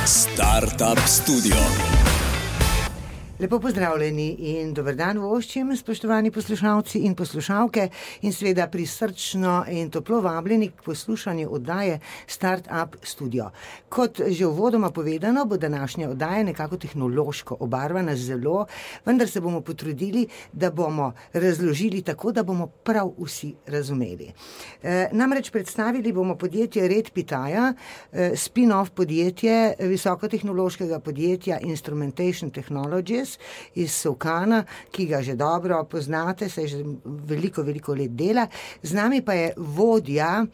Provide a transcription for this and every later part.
Startup Studio. Lepo pozdravljeni in dober dan voščim, spoštovani poslušalci in poslušalke, in seveda prisrčno in toplo vabljeni k poslušanju oddaje Startup Studio. Kot že uvodoma povedano, bo današnja oddaja nekako tehnološko obarvana zelo, vendar se bomo potrudili, da bomo razložili tako, da bomo prav vsi razumeli. Namreč predstavili bomo podjetje Redpitaja, spin-off podjetje visokotehnološkega podjetja Instrumentation Technologies iz Solkana, ki ga že dobro poznate, se že veliko let dela. Z nami pa je vodja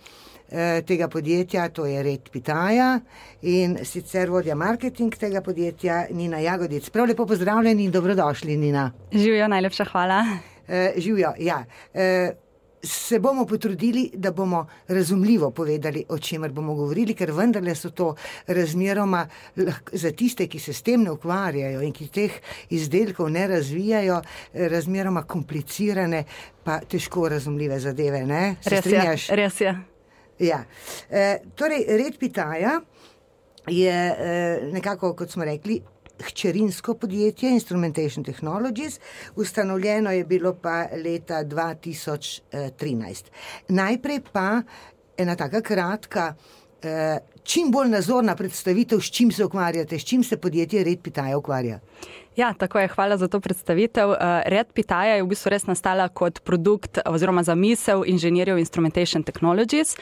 tega podjetja, to je Redpitaja, in sicer vodja marketing tega podjetja Nina Jagodic. Prav lepo pozdravljeni in dobrodošli, Nina. Živjo, najlepša hvala. Živjo, ja. Se bomo potrudili, da bomo razumljivo povedali, o čemer bomo govorili, ker vendarle so to razmeroma za tiste, ki se s tem ne ukvarjajo in ki teh izdelkov ne razvijajo, razmeroma komplicirane pa težko razumljive zadeve, ne? Se strinjaš? Res je. Ja. Torej, Redpitaja je nekako, kot smo rekli, hčerinsko podjetje Instrumentation Technologies, ustanovljeno je bilo pa leta 2013. Najprej pa ena taka kratka, čim bolj nazorna predstavitev, s čim se ukvarjate, s čim se podjetje Redpitaja ukvarja. Ja, tako je, hvala za to predstavitev. Redpitaja je v bistvu res nastala kot produkt oziroma zamisel inženirjev Instrumentation Technologies.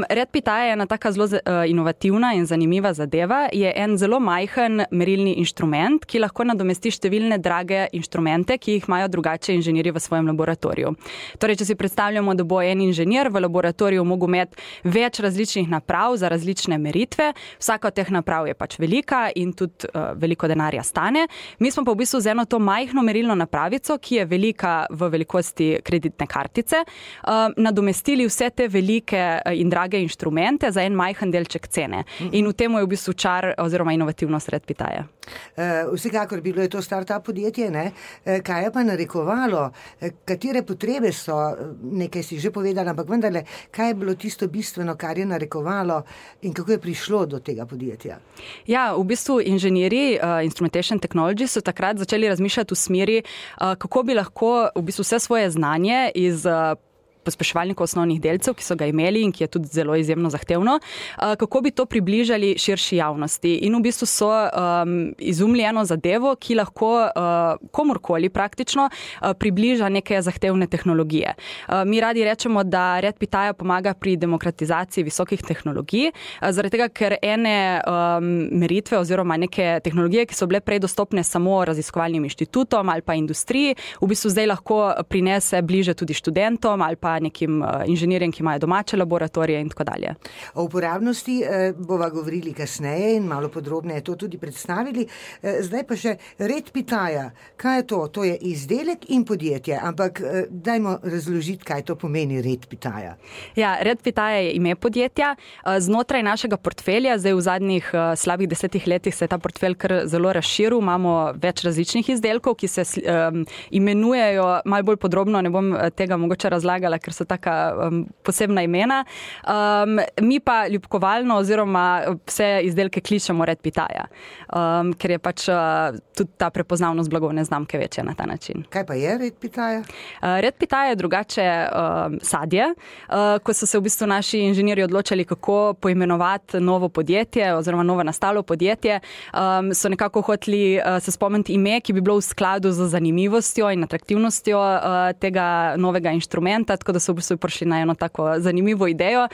Redpitaja je ena taka zelo inovativna in zanimiva zadeva. Je en zelo majhen merilni inštrument, ki lahko nadomesti številne drage inštrumente, ki jih imajo drugače inženirji v svojem laboratoriju. Torej, če si predstavljamo, da bo en inženir v laboratoriju mogel imeti več različnih naprav za različne meritve, vsaka od teh naprav je pač velika in tudi veliko denarja stane. Mi smo pa v bistvu z eno to majhno merilno napravico, ki je velika v velikosti kreditne kartice, nadomestili vse te velike in drage inštrumente za en majhen delček cene. In v tem je v bistvu čar oziroma inovativnost Redpitaja. Vsekakor bilo je to startup podjetje, ne? Kaj je pa narekovalo? Katere potrebe so? Nekaj si že povedala, ampak vendarle, kaj je bilo tisto bistveno, kar je narekovalo in kako je prišlo do tega podjetja? Ja, v bistvu inženirji Instrumentation Technology so takrat začeli razmišljati v smeri, kako bi lahko v bistvu vse svoje znanje iz pospeševalnikov osnovnih delcev, ki so ga imeli in ki je tudi zelo izjemno zahtevno, kako bi to približali širši javnosti. In v bistvu so izumili eno zadevo, ki lahko komorkoli praktično približa neke zahtevne tehnologije. Mi radi rečemo, da Redpitaja pomaga pri demokratizaciji visokih tehnologij, zaradi tega, ker ene meritve oziroma neke tehnologije, ki so bile prej dostopne samo raziskovalnim inštitutom ali pa industriji, v bistvu zdaj lahko prinese bliže tudi študentom ali pa nekim inženirjem, ki imajo domače laboratorije in tako dalje. O uporabnosti bova govorili kasneje in malo podrobneje to tudi predstavili. Zdaj pa še Redpitaja. Kaj je to? To je izdelek in podjetje, ampak dajmo razložiti, kaj to pomeni Redpitaja. Ja, Redpitaja je ime podjetja. Znotraj našega portfelja, zdaj v zadnjih slabih 10 letih se je ta portfelj kar zelo razširil. Imamo več različnih izdelkov, ki se imenujejo malo bolj podrobno, ne bom tega mogoče razlagala, ker so taka posebna imena. Mi pa ljubkovalno oziroma vse izdelke kličemo Redpitaja, ker je pač tudi ta prepoznavnost blagovne znamke večja na ta način. Kaj pa je Redpitaja? Redpitaja je drugače sadje. Ko so se v bistvu naši inženirji odločali, kako poimenovati novo podjetje oziroma novo nastalo podjetje, so nekako hoteli se spomniti ime, ki bi bilo v skladu z zanimivostjo in atraktivnostjo tega novega inštrumenta, tako da so v bistvu prišli na eno tako zanimivo idejo,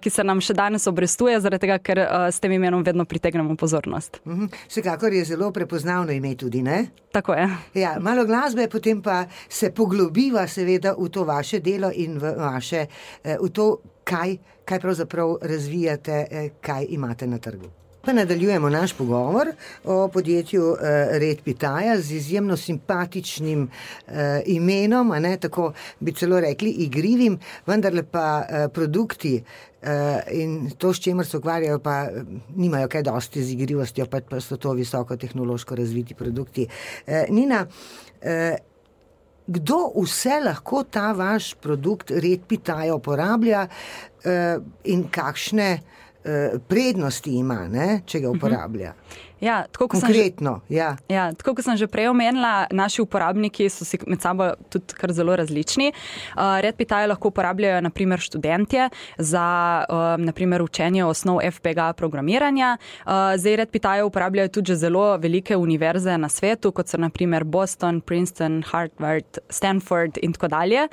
ki se nam še danes obrestuje, zaradi tega, ker s tem imenom vedno pritegnemo pozornost. Vsekakor je zelo prepoznavno ime tudi, ne? Tako je. Ja, malo glasbe, potem pa se poglobiva seveda v to vaše delo in v to, kaj pravzaprav razvijate, kaj imate na trgu. Pa nadaljujemo naš pogovor o podjetju Redpitaja z izjemno simpatičnim imenom, a ne, tako bi celo rekli igrivim, vendarle pa produkti in to, s čemer se ukvarjajo, pa nimajo kaj dosti z igrivostjo, pa so to visoko tehnološko razviti produkti. Nina, kdo vse lahko ta vaš produkt Redpitaja uporablja in kakšne prednosti ima, ne, če ga uporablja. Ja, konkretno, tako kot sem že prej omenila, naši uporabniki so si med sabo tudi kar zelo različni. RedPitaj lahko uporabljajo naprimer študentje za naprimer učenje osnov FPGA programiranja. Zdaj RedPitaj uporabljajo tudi že zelo velike univerze na svetu, kot so naprimer Boston, Princeton, Harvard, Stanford in tako dalje.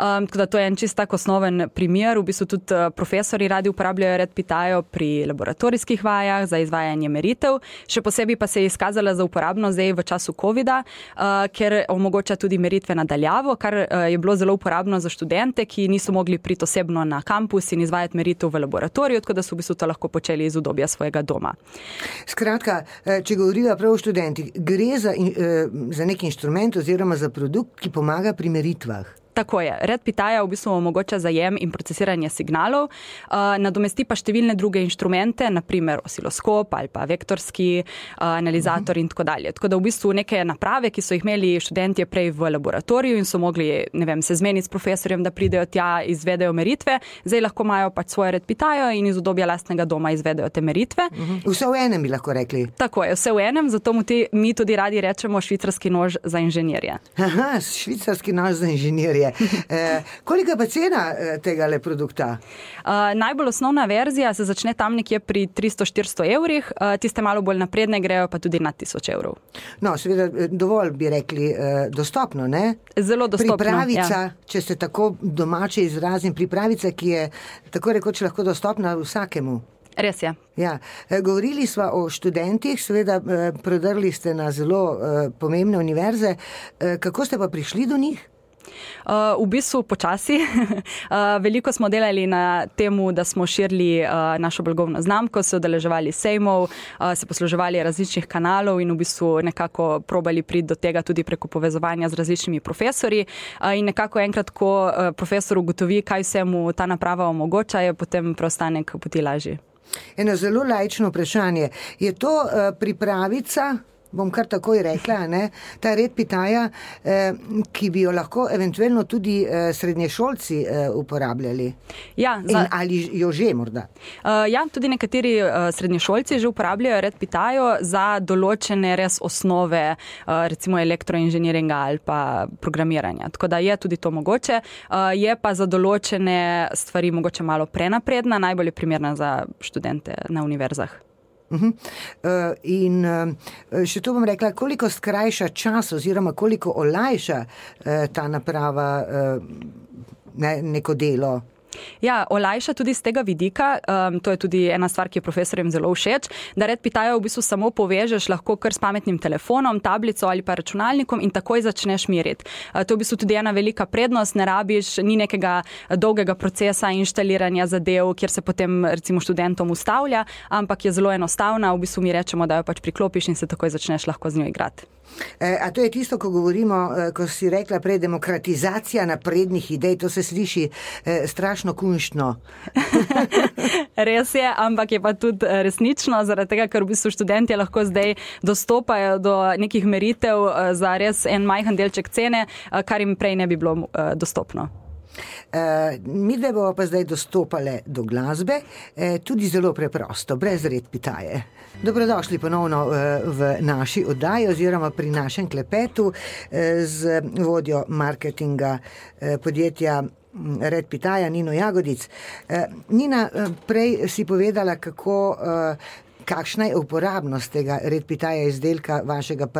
Tako da to je en čist tak osnoven primer. V bistvu tudi profesori radi uporabljajo RedPitaj pri laboratorijskih vajah za izvajanje meritev. Še posebej pa se je izkazala za uporabno zdaj v času covida, ker omogoča tudi meritve nadaljavo, kar je bilo zelo uporabno za študente, ki niso mogli priti osebno na kampus in izvajati meritev v laboratoriju, tako da so v bistvu to lahko počeli iz udobja svojega doma. Skratka, če govoriva prav o študentih, gre za nek inštrument oziroma za produkt, ki pomaga pri meritvah. Tako je. RedPitaj v bistvu omogoča zajem in procesiranje signalov, nadomesti pa številne druge inštrumente, naprimer osiloskop ali pa vektorski analizator in tako dalje. Tako da v bistvu neke naprave, ki so jih imeli študentje prej v laboratoriju in so mogli, se zmeniti s profesorjem, da pridejo tja, izvedejo meritve, zdaj lahko imajo pač svoje RedPitaj in iz udobja lastnega doma izvedejo te meritve. Vse v enem bi lahko rekli. Tako je, vse v enem, zato mi tudi radi rečemo švicarski nož za inženirje. Aha, švicarski nož za inženirje. Kolika pa cena tega produkta? Najbolj osnovna verzija se začne tam nekje pri 300-400 evrih, tiste malo bolj napredne grejo pa tudi nad 1000 evrov. No, seveda dovolj bi rekli dostopno, ne? Zelo dostopno, pripravica, če se tako domače izrazim, pripravica, ki je tako rekoč lahko dostopna vsakemu. Res je. Ja. Govorili sva o študentih, seveda prodrli ste na zelo pomembne univerze. Kako ste pa prišli do njih? V bistvu počasi. Veliko smo delali na temu, da smo širili našo blagovno znamko, se udeleževali sejmov, se posluževali različnih kanalov in v bistvu nekako probali priti do tega tudi preko povezovanja z različnimi profesorji. In nekako enkrat, ko profesor ugotovi, kaj vse mu ta naprava omogoča, je potem preostanek poti lažji. Eno zelo laično vprašanje. Je to pripravica, bom kar takoj rekla, ne, ta RedPitaj, ki bi jo lahko eventualno tudi srednješolci uporabljali? Ja, ali jo že morda? Ja, tudi nekateri srednješolci že uporabljajo RedPitaj za določene res osnove, recimo elektroinženiringa ali pa programiranja. Tako da je tudi to mogoče. Je pa za določene stvari mogoče malo prenapredna, najbolj je primerna za študente na univerzah. In še to bom rekla, koliko skrajša čas oziroma koliko olajša ta naprava neko delo? Ja, olajša tudi z tega vidika, to je tudi ena stvar, ki je profesorjem zelo všeč, da RedPitaj v bistvu samo povežeš lahko kar s pametnim telefonom, tablico ali pa računalnikom in takoj začneš meriti. To je v bistvu tudi ena velika prednost, ne rabiš, ni nekega dolgega procesa inštaliranja zadev, kjer se potem recimo študentom ustavlja, ampak je zelo enostavna, v bistvu mi rečemo, da jo pač priklopiš in se takoj začneš lahko z njo igrati. A to je tisto, ko govorimo, ko si rekla prej, demokratizacija naprednih idej, to se sliši strašno kunštno. Res je, ampak je pa tudi resnično, zaradi tega, ker v bistvu študentje lahko zdaj dostopajo do nekih meritev za res en majhen delček cene, kar jim prej ne bi bilo dostopno. Mi dve bomo pa zdaj dostopale do glasbe, tudi zelo preprosto, brez RedPitaj. Dobrodošli ponovno v naši oddaji oziroma pri našem klepetu z vodjo marketinga podjetja RedPitaj, Nino Jagodic. Nina, prej si povedala, kakšna je uporabnost tega RedPitaj izdelka vašega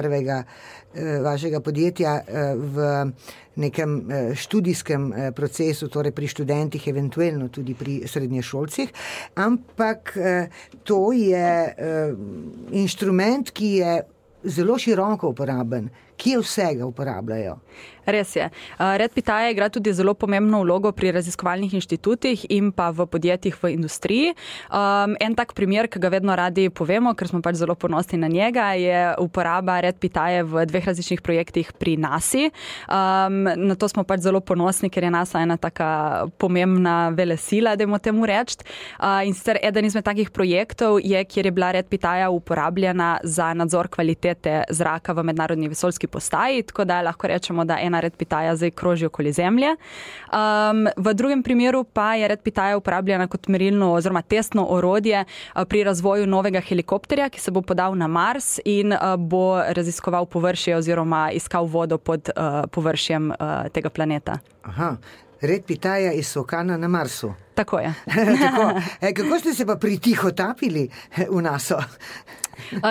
podjetja v nekem študijskem procesu, torej pri študentih, eventualno tudi pri srednješolcih, ampak to je inštrument, ki je zelo široko uporaben. Kje vsega uporabljajo? Res je. RedPitaj igra tudi zelo pomembno vlogo pri raziskovalnih inštitutih in pa v podjetjih v industriji. En tak primer, ki ga vedno radi povemo, ker smo pač zelo ponosni na njega, je uporaba RedPitaj v 2 različnih projektih pri NASA. Na to smo pač zelo ponosni, ker je NASA ena taka pomembna velesila, dajmo temu reči. In sicer eden izmed takih projektov je, kjer je bila RedPitaj uporabljena za nadzor kvalitete zraka v mednarodni vesoljski postaji, tako da lahko rečemo, da ena Red Pitaja zdaj kroži okoli Zemlje. V drugem primeru pa je Red Pitaja uporabljena kot merilno oziroma testno orodje pri razvoju novega helikopterja, ki se bo podal na Mars in bo raziskoval površje oziroma iskal vodo pod površjem tega planeta. Aha, Red Pitaja iz Vulkana na Marsu. Tako je. Tako. Kako ste se pa pritihotapili v NASA?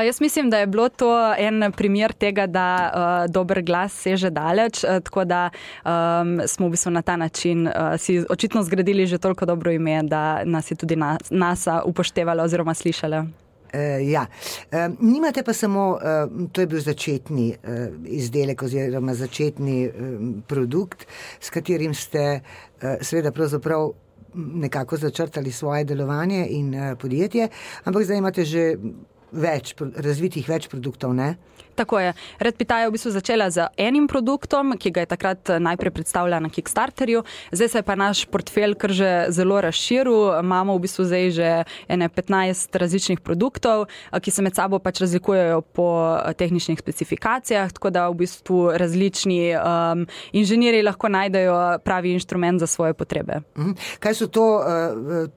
Jaz mislim, da je bilo to en primer tega, da dober glas seže daleč, tako da smo v bistvu na ta način si očitno zgradili že toliko dobro ime, da nas je tudi NASA upoštevala oziroma slišala. Ja, nimate pa samo, to je bil začetni izdelek oziroma začetni produkt, s katerim ste seveda pravzaprav nekako začrtali svoje delovanje in podjetje, ampak zdaj imate že razvitih več produktov, ne? Tako je. Red Pitaja je v bistvu začela z enim produktom, ki ga je takrat najprej predstavila na Kickstarterju. Zdaj se je pa naš portfelj kar že zelo razširil. Imamo v bistvu zdaj že 15 različnih produktov, ki se med sabo pač razlikujejo po tehničnih specifikacijah, tako da v bistvu različni inženirji lahko najdejo pravi inštrument za svoje potrebe. Kaj so to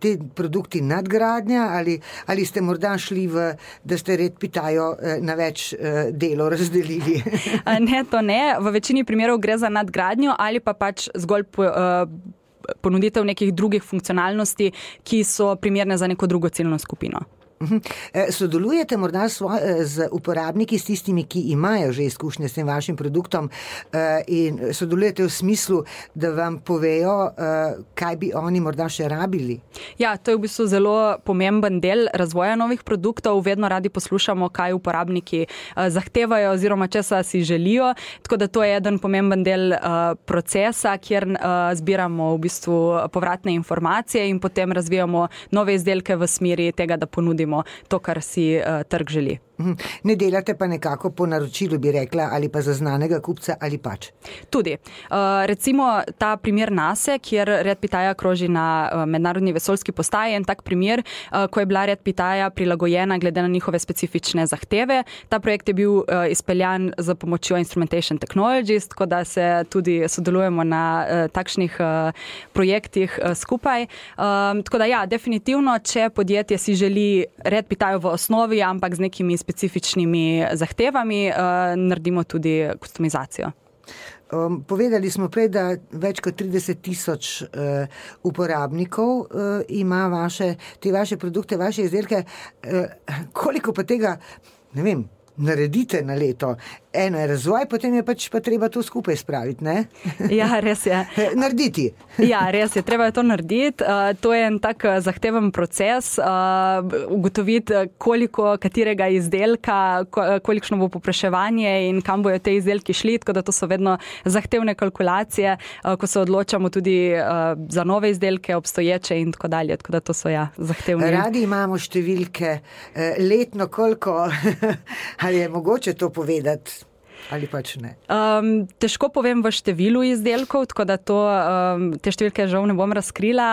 te produkti nadgradnja ali ste morda šli da ste Red Pitajo na več delo razdelili? Ne, to ne. V večini primerov gre za nadgradnjo ali pa pač zgolj ponuditev nekih drugih funkcionalnosti, ki so primerne za neko drugo ciljno skupino. Sodelujete morda z uporabniki, s tistimi, ki imajo že izkušnje s tem vašim produktom in sodelujete v smislu, da vam povejo, kaj bi oni morda še rabili? Ja, to je v bistvu zelo pomemben del razvoja novih produktov. Vedno radi poslušamo, kaj uporabniki zahtevajo oziroma česa si želijo. Tako da to je eden pomemben del procesa, kjer zbiramo v bistvu povratne informacije in potem razvijamo nove izdelke v smeri tega, da ponudimo to, kar si trg želi. Ne delate pa nekako po naročilu, bi rekla, ali pa za znanega kupca ali pač? Tudi. Recimo ta primer NASA, kjer Red Pitaja kroži na mednarodni vesoljski postaji, en tak primer, ko je bila Red Pitaja prilagojena glede na njihove specifične zahteve. Ta projekt je bil izpeljan za pomočjo Instrumentation Technologies, tako da se tudi sodelujemo na takšnih projektih skupaj. Tako da ja, definitivno, če podjetje si želi Red Pitajo v osnovi, ampak z nekimi specifičnimi zahtevami, naredimo tudi kustomizacijo. Povedali smo prej, da več kot 30,000 uporabnikov ima te vaše produkte, vaše izdelke. Koliko pa tega, ne vem, naredite na leto? Eno je razvoj, potem je pač pa treba to skupaj spraviti, ne? Ja, res je. Narediti. Ja, res je, treba je to narediti. To je en tak zahteven proces, ugotoviti, koliko katerega izdelka, kolikšno bo povpraševanje in kam bojo te izdelki šli, tako da to so vedno zahtevne kalkulacije, ko se odločamo tudi za nove izdelke, obstoječe in tako dalje, tako da to so zahtevne. Radi imamo številke, letno koliko, ali je mogoče to povedati? Ali pač ne? Težko povem v številu izdelkov, tako da te številke žal ne bom razkrila.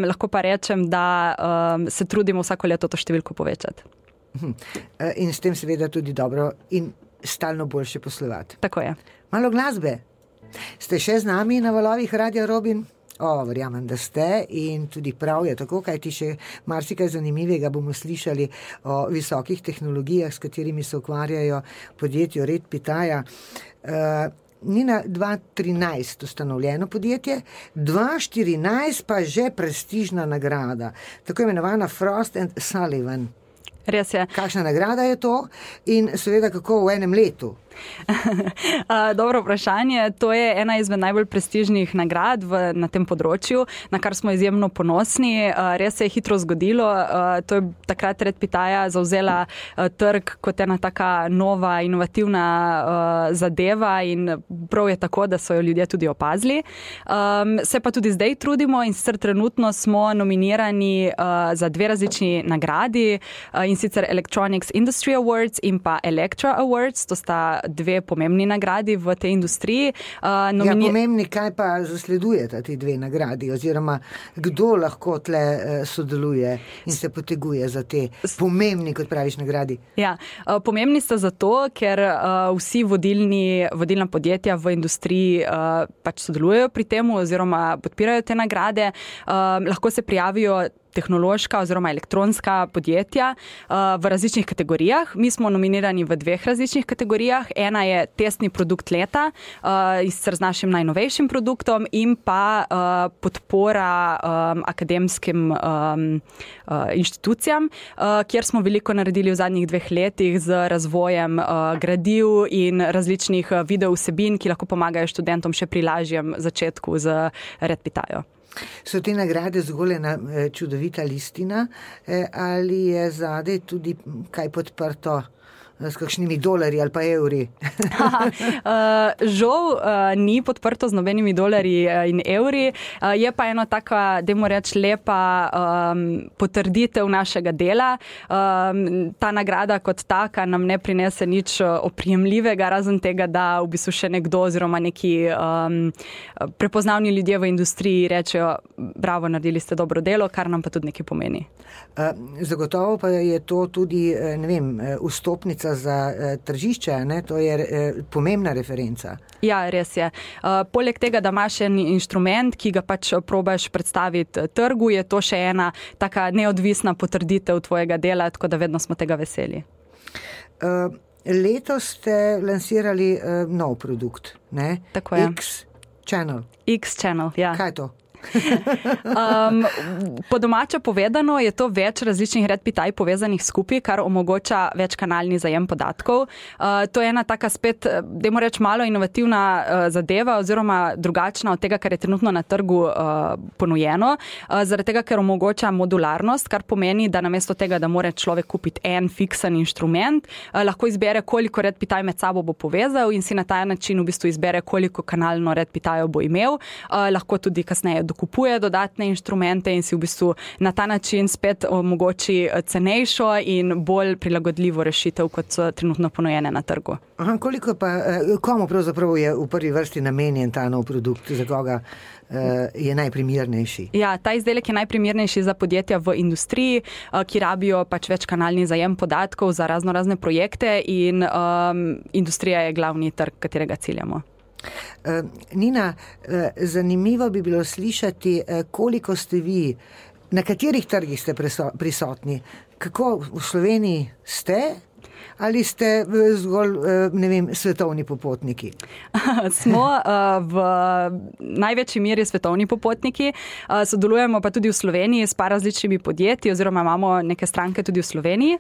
Lahko pa rečem, da se trudimo vsako leto to številko povečati. In s tem seveda tudi dobro in stalno boljše poslovati. Tako je. Malo glasbe. Ste še z nami na valovih Radia Robin? Verjamem, da ste in tudi prav je tako, kajti še marsikaj zanimivega bomo slišali o visokih tehnologijah, s katerimi se ukvarjajo podjetju Red Pitaja. Ni na 2013 ustanovljeno podjetje, 2014 pa že prestižna nagrada, tako imenovana Frost & Sullivan. Res je. Kakšna nagrada je to in seveda kako v enem letu? Dobro vprašanje. To je ena izmed najbolj prestižnih nagrad na tem področju, na kar smo izjemno ponosni. Res se je hitro zgodilo. To je takrat Red Pitaja zavzela trg kot ena taka nova, inovativna zadeva in prav je tako, da so jo ljudje tudi opazili. Se pa tudi zdaj trudimo in sicer trenutno smo nominirani za 2 različni nagradi in sicer Electronics Industry Awards in pa Electra Awards. To sta dve pomembni nagradi v tej industriji. Pomembni, kaj pa zasledujete ti dve nagradi, oziroma kdo lahko tle sodeluje in se poteguje za te pomembni, kot praviš, nagradi? Ja, pomembni sta zato, ker vsi vodilna podjetja v industriji pač sodelujejo pri tem oziroma podpirajo te nagrade. Lahko se prijavijo tehnološka oziroma elektronska podjetja v različnih kategorijah. Mi smo nominirani v dveh različnih kategorijah. Ena je testni produkt leta z našim najnovejšim produktom in pa podpora akademskim inštitucijam, kjer smo veliko naredili v zadnjih 2 letih z razvojem gradiv in različnih video vsebin, ki lahko pomagajo študentom še pri lažjem začetku z RedPitajo. So te nagrade zgolj ena čudovita listina ali je zadaj tudi kaj podprto s kakšnimi dolarji ali pa evri? Žal ni podprto z nobenimi dolarji in evri, je pa ena taka, dajmo reči, lepa potrditev našega dela. Ta nagrada kot taka nam ne prinese nič oprijemljivega, razen tega, da v bistvu še nekdo oziroma neki prepoznavni ljudje v industriji rečejo, bravo, naredili ste dobro delo, kar nam pa tudi nekaj pomeni. Zagotovo pa je to tudi, ne vem, vstopnica za tržišče, ne? To je pomembna referenca. Ja, res je. Poleg tega, da imaš en inštrument, ki ga pač probaš predstaviti trgu, je to še ena taka neodvisna potrditev tvojega dela, tako da vedno smo tega veseli. Letos ste lansirali nov produkt, ne? Tako je. X-Channel. X-Channel, ja. Kaj je to? Po domače povedano je to več različnih RedPitaj povezanih skupaj, kar omogoča večkanalni zajem podatkov. To je ena taka spet, dajmo reči, malo inovativna zadeva oziroma drugačna od tega, kar je trenutno na trgu ponujeno, zaradi tega, ker omogoča modularnost, kar pomeni, da namesto tega, da mora človek kupiti en fiksen inštrument, lahko izbere, koliko RedPitaj med sabo bo povezal in si na ta način v bistvu izbere, koliko kanalno RedPitajo bo imel. Lahko tudi kasneje dokupuje dodatne inštrumente in si v bistvu na ta način spet omogoči cenejšo in bolj prilagodljivo rešitev, kot so trenutno ponujene na trgu. Koliko pa, komu pravzaprav je v prvi vrsti namenjen ta nov produkt, za koga je najprimernejši? Ja, ta izdelek je najprimernejši za podjetja v industriji, ki rabijo pač večkanalni zajem podatkov za razne projekte in industrija je glavni trg, katerega ciljamo. Nina, zanimivo bi bilo slišati, koliko ste vi, na katerih trgih ste prisotni, kako v Sloveniji ste ali ste zgolj, ne vem, svetovni popotniki? Smo v največji meri svetovni popotniki, sodelujemo pa tudi v Sloveniji s par različnimi podjetji oziroma imamo neke stranke tudi v Sloveniji.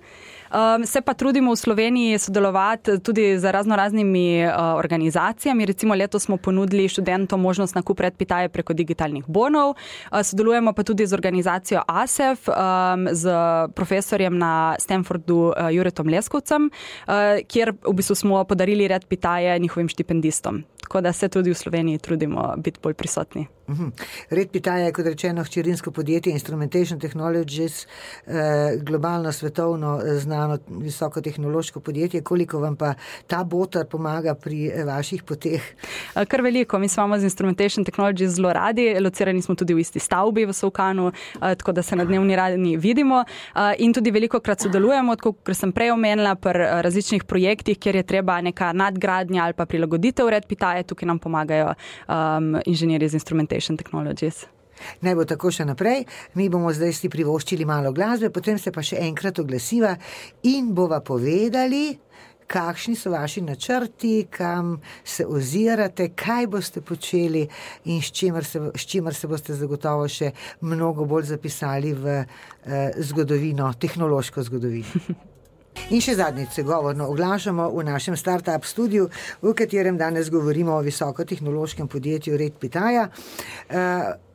Se pa trudimo v Sloveniji sodelovati tudi z raznoraznimi organizacijami. Recimo letos smo ponudili študentom možnost nakup RedPitaje preko digitalnih bonov. Sodelujemo pa tudi z organizacijo ASEF, z profesorjem na Stanfordu Juretom Leskovcem, kjer v bistvu smo podarili RedPitaje njihovim štipendistom. Tako da se tudi v Sloveniji trudimo biti bolj prisotni. RedPitaja je, kot rečeno, hčerinsko podjetje Instrumentation Technologies, globalno, svetovno znano visokotehnološko podjetje. Koliko vam pa ta botar pomaga pri vaših poteh? Kar veliko. Mi smo z Instrumentation Technologies zelo radi. Locirani smo tudi v isti stavbi v Solkanu, tako da se na dnevni ravni vidimo. In tudi velikokrat sodelujemo, kot sem prej omenila, pri različnih projektih, kjer je treba neka nadgradnja ali pa prilagoditev RedPitaje. Tukaj nam pomagajo inženirji z Instrumentation Technologies. Naj bo tako še naprej. Mi bomo zdaj si privoščili malo glasbe, potem se pa še enkrat oglasiva in bova povedali, kakšni so vaši načrti, kam se ozirate, kaj boste počeli in s čimer se boste zagotovo še mnogo bolj zapisali v zgodovino, tehnološko zgodovino. In še zadnjič se govorno oglašamo v našem Startup studiu, v katerem danes govorimo o visokotehnološkem podjetju RedPitaja.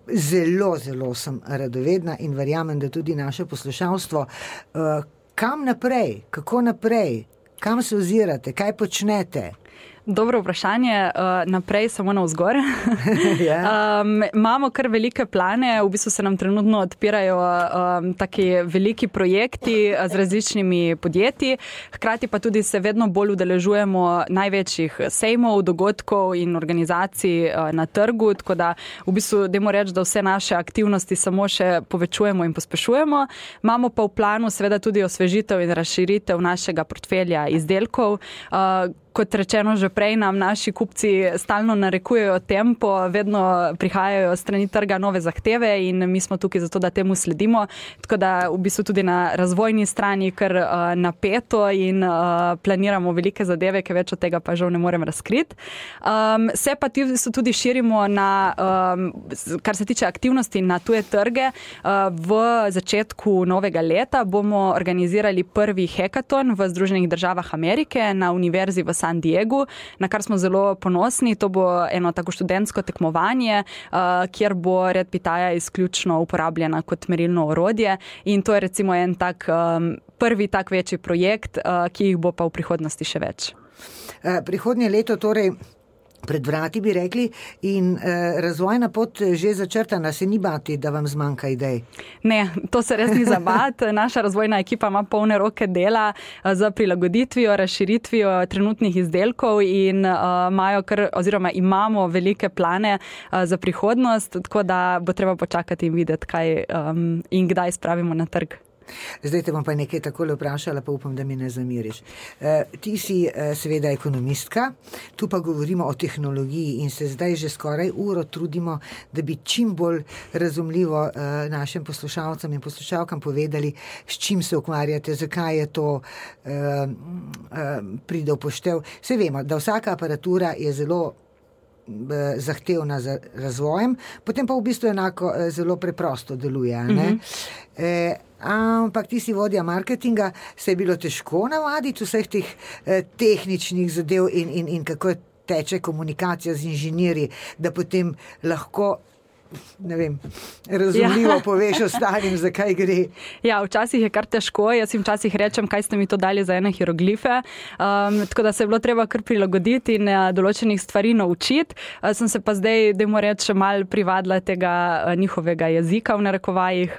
Zelo sem radovedna in verjamem, da tudi naše poslušalstvo. Kam naprej? Kako naprej? Kam se ozirate? Kaj počnete? Dobro vprašanje, naprej samo navzgor. Imamo kar velike plane, v bistvu se nam trenutno odpirajo taki veliki projekti z različnimi podjetji, hkrati pa tudi se vedno bolj udeležujemo največjih sejmov, dogodkov in organizacij na trgu, tako da v bistvu dajmo reči, da vse naše aktivnosti samo še povečujemo in pospešujemo. Imamo pa v planu seveda tudi osvežitev in razširitev našega portfelja izdelkov. Kot rečeno že prej, nam naši kupci stalno narekujejo tempo, vedno prihajajo strani trga nove zahteve in mi smo tukaj zato, da temu sledimo. Tako da v bistvu tudi na razvojni strani kar napeto in planiramo velike zadeve, ki več od tega pa žal ne morem razkriti. Se pa tudi širimo na, kar se tiče aktivnosti na tuje trge. V začetku novega leta bomo organizirali prvi hackathon v Združenih državah Amerike na univerzi v San Diegu, na kar smo zelo ponosni. To bo eno tako študentsko tekmovanje, kjer bo Red Pitaya izključno uporabljena kot merilno orodje in to je recimo en tak prvi tak večji projekt, ki jih bo pa v prihodnosti še več. Prihodnje leto torej pred vrati bi rekli in razvojna pot že začrtana, se ni bati, da vam zmanjka idej? Ne, to se res ni za bat. Naša razvojna ekipa ima polne roke dela za prilagoditvijo, razširitvijo trenutnih izdelkov in imamo velike plane za prihodnost, tako da bo treba počakati in videti, kaj in kdaj spravimo na trg. Zdaj te bom pa nekaj takole vprašala, pa upam, da mi ne zamiriš. Ti si seveda ekonomistka, tu pa govorimo o tehnologiji in se zdaj že skoraj uro trudimo, da bi čim bolj razumljivo našim poslušalcem in poslušalkam povedali, s čim se ukvarjate, zakaj je to pride v poštev. Saj vemo, da vsaka aparatura je zelo zahtevna za razvojem, potem pa v bistvu enako zelo preprosto deluje, ne? Ampak ti si vodja marketinga, se je bilo težko navaditi vseh teh tehničnih zadev in kako teče komunikacija z inženirji, da potem lahko razumljivo poveš ostalim, zakaj gre. Ja, včasih je kar težko, jaz jim včasih rečem, kaj ste mi to dali za ene hieroglife, tako da se je bilo treba kar prilagoditi in določenih stvari naučiti. Sem se pa zdaj, dajmo reči, še malo privadila tega njihovega jezika v narekovajih,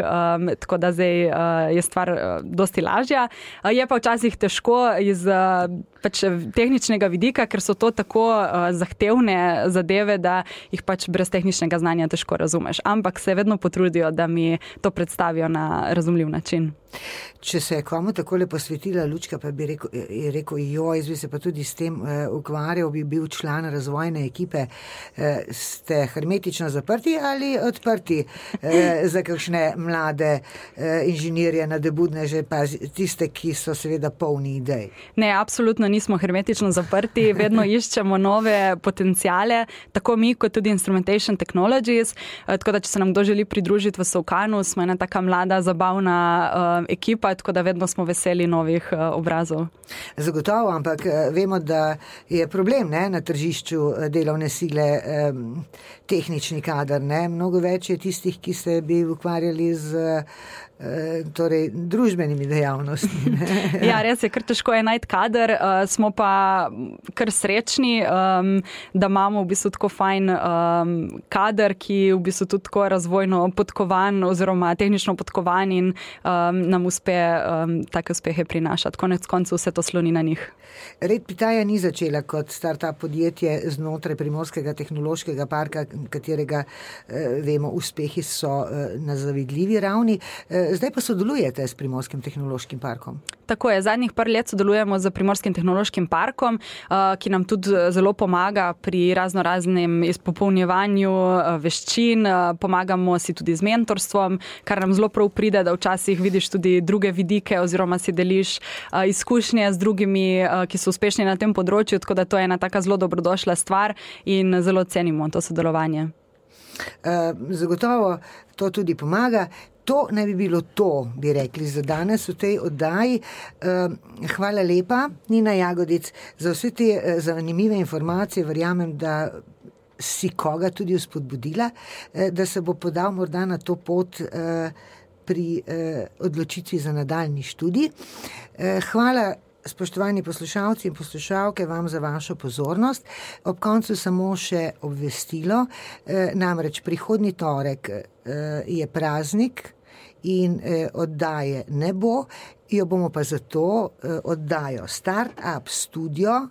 tako da zdaj je stvar dosti lažja. Je pa včasih težko iz tehničnega vidika, ker so to tako zahtevne zadeve, da jih brez tehničnega znanja težko razumeš. Ampak se vedno potrudijo, da mi to predstavijo na razumljiv način. Če se je komu takole posvetila Lučka, pa bi rekel, jaz bi se pa tudi s tem ukvarjal, bi bil član razvojne ekipe. Ste hermetično zaprti ali odprti za kakšne mlade inženirje, nadebudneže, pa tiste, ki so seveda polni idej? Ne, absolutno nismo hermetično zaprti, vedno iščemo nove potencijale, tako mi kot tudi Instrumentation Technologies, tako da če se nam kdo želi pridružiti v Solkanu, smo ena taka mlada, zabavna ekipa, tako da vedno smo veseli novih obrazov. Zagotovo, ampak vemo, da je problem na tržišču delovne sile tehnični kader. Mnogo več je tistih, ki se bi ukvarjali z družbenimi dejavnostmi. Ja, res je, kar težko je najti kader, smo pa kar srečni, da imamo v bistvu tako fajn kader, ki v bistvu tudi tako razvojno podkovan oziroma tehnično podkovan in nam uspe take uspehe prinašati. Konec koncev vse to sloni na njih. Red Pitaya ni začela kot start-up podjetje znotraj Primorskega tehnološkega parka, katerega vemo, uspehi so na zavidljivi ravni. Zdaj pa sodelujete s Primorskim tehnološkim parkom. Tako je, zadnjih par let sodelujemo z Primorskim tehnološkim parkom, ki nam tudi zelo pomaga pri raznoraznem izpopolnjevanju veščin, pomagamo si tudi z mentorstvom, kar nam zelo prav pride, da včasih vidiš tudi druge vidike oziroma si deliš izkušnje z drugimi, ki so uspešni na tem področju, tako da to je ena taka zelo dobrodošla stvar in zelo cenimo to sodelovanje. Zagotovo to tudi pomaga. To naj bi bilo to, bi rekli, za danes v tej oddaji. Hvala lepa, Nina Jagodic, za vse te zanimive informacije. Verjamem, da si koga tudi vzpodbudila, da se bo podal morda na to pot pri odločitvi za nadaljnji študij. Hvala spoštovani poslušalci in poslušalke, vam za vašo pozornost. Ob koncu samo še obvestilo, namreč prihodnji torek je praznik in oddaje ne bo, jo bomo pa zato oddajo Startup Studio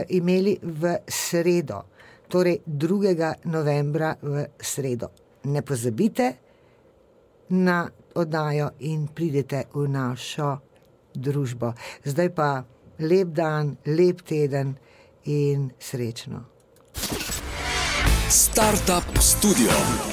imeli v sredo, torej 2. novembra v sredo. Ne pozabite na oddajo in pridete v našo družbo. Zdaj pa lep dan, lep teden in srečno. Startup Studio.